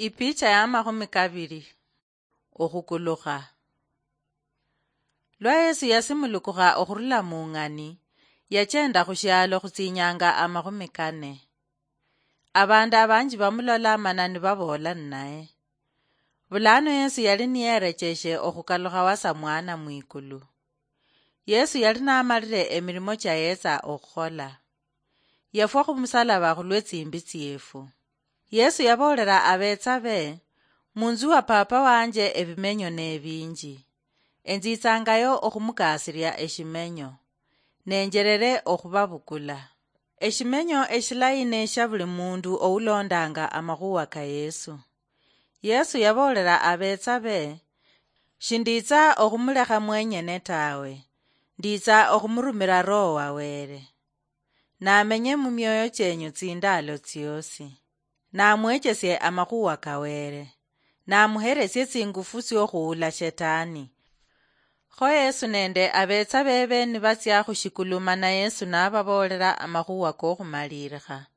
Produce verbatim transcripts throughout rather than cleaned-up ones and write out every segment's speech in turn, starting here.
Ipicha ya makhumi kabiri. Okhukulukha. Lwa Yesu yasimulukukha okhurula mu ng'ani, yachenda khu shialo khutsinyanga amakhumi kane. Abandu abanji bamulola mana nibaboola ninaye. Bulano Yesu yali niyerecheeshe okhukalukha wasa mwana mwikulu. Yesu yali namalire emirimo cha yetsa okhukhola. Yafwa khumusalaba khulwe tsimbi tsiefu. Yesu yaboolera abeetsa be, "Munzu wa Papa wanje ebimenyo nebinji. Enzitsangayo okhumukasiria eshimenyo, nenjerere okhubabukula." Eshimenyo eshilayi neshia buli mundu oulondanga amakhuwa ka Yesu. Yesu yaboolera abeetsa be, "Shinditsa okhumulekha mwenyene tawe, nditsa okhumurumira Roho wa Wele. Namenye mumioyo chienyu tsindaalo tsiosi. Namwechesie amakhuwa ka Wele. Namuheresie tsingufu tsiokhuula Shetani." Kho Yesu nende abeetsa bebe nibatsia khushikulu mana Yesu nababoolera amakhuwa kokhumalilikha.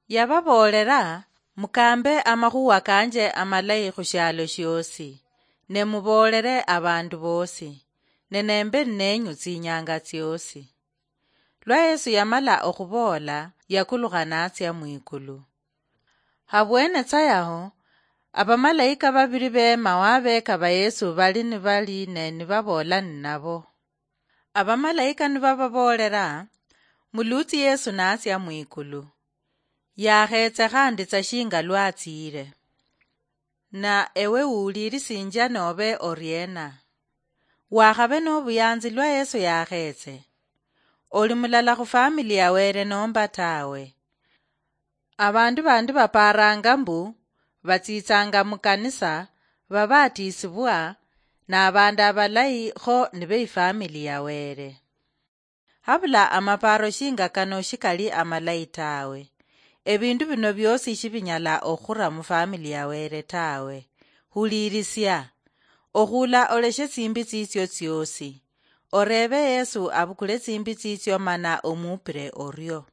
Yababoolera, "Mukambe amakhuwa kanje amalayi khushialo shiosi, ne muboolere abandu bosi, ne nembe ninenyu tsinyanga tsiosi." Lwa Yesu yamala okhuboola, yakulukha natsia mwikulu. Habwene tsa yaho, abamalayika babiri beema wabeka ba Yesu bali nibali ne nibaboola ninabo. Abamalayika nibababoolera, "Mulutsi Yesu natsia mwikulu. Yakheetse khandi tsa shinga lwatsiire. Na ewe wuulirisinjia nobe oriena? Wakhabe nobuyanzi lwa Yesu yakheetse. Oli mulala khu family ya Wele nomba tawe?" Abandu bandi baparanga mbu batsitsanga mukanisa, babatisibwa, nabandu abalayi kho nibe ifamily ya Wele. Habula amaparo shinga kano shikali amalayi tawe. Ebindu bino biosi shibinyala okhura mufamily ya Wele tawe. Hulirisia. Okhula oleshe tsimbi tsitsio tsiosi. Orebe Yesu abukule tsimbi tsitsio mana omupire orio.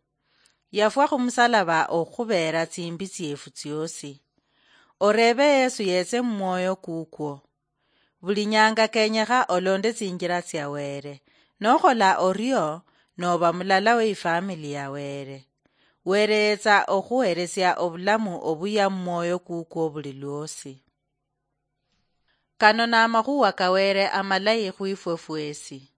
Yafwa khumusalaba okhubeera tsimbi tsiefu tsiosi. Orebe Yesu yetse mumwoyo kukwo. Buli nyanga kenyekha olonde tsinjira tsia Wele. Nokhola orio, noba mulala we ifamily ya Wele. Wele yetsa okhuheresia obulamu obuya mumwoyo kukwo buli lwosi. Kano namakhuwa ka Wele amalayi khwifwe fwesi.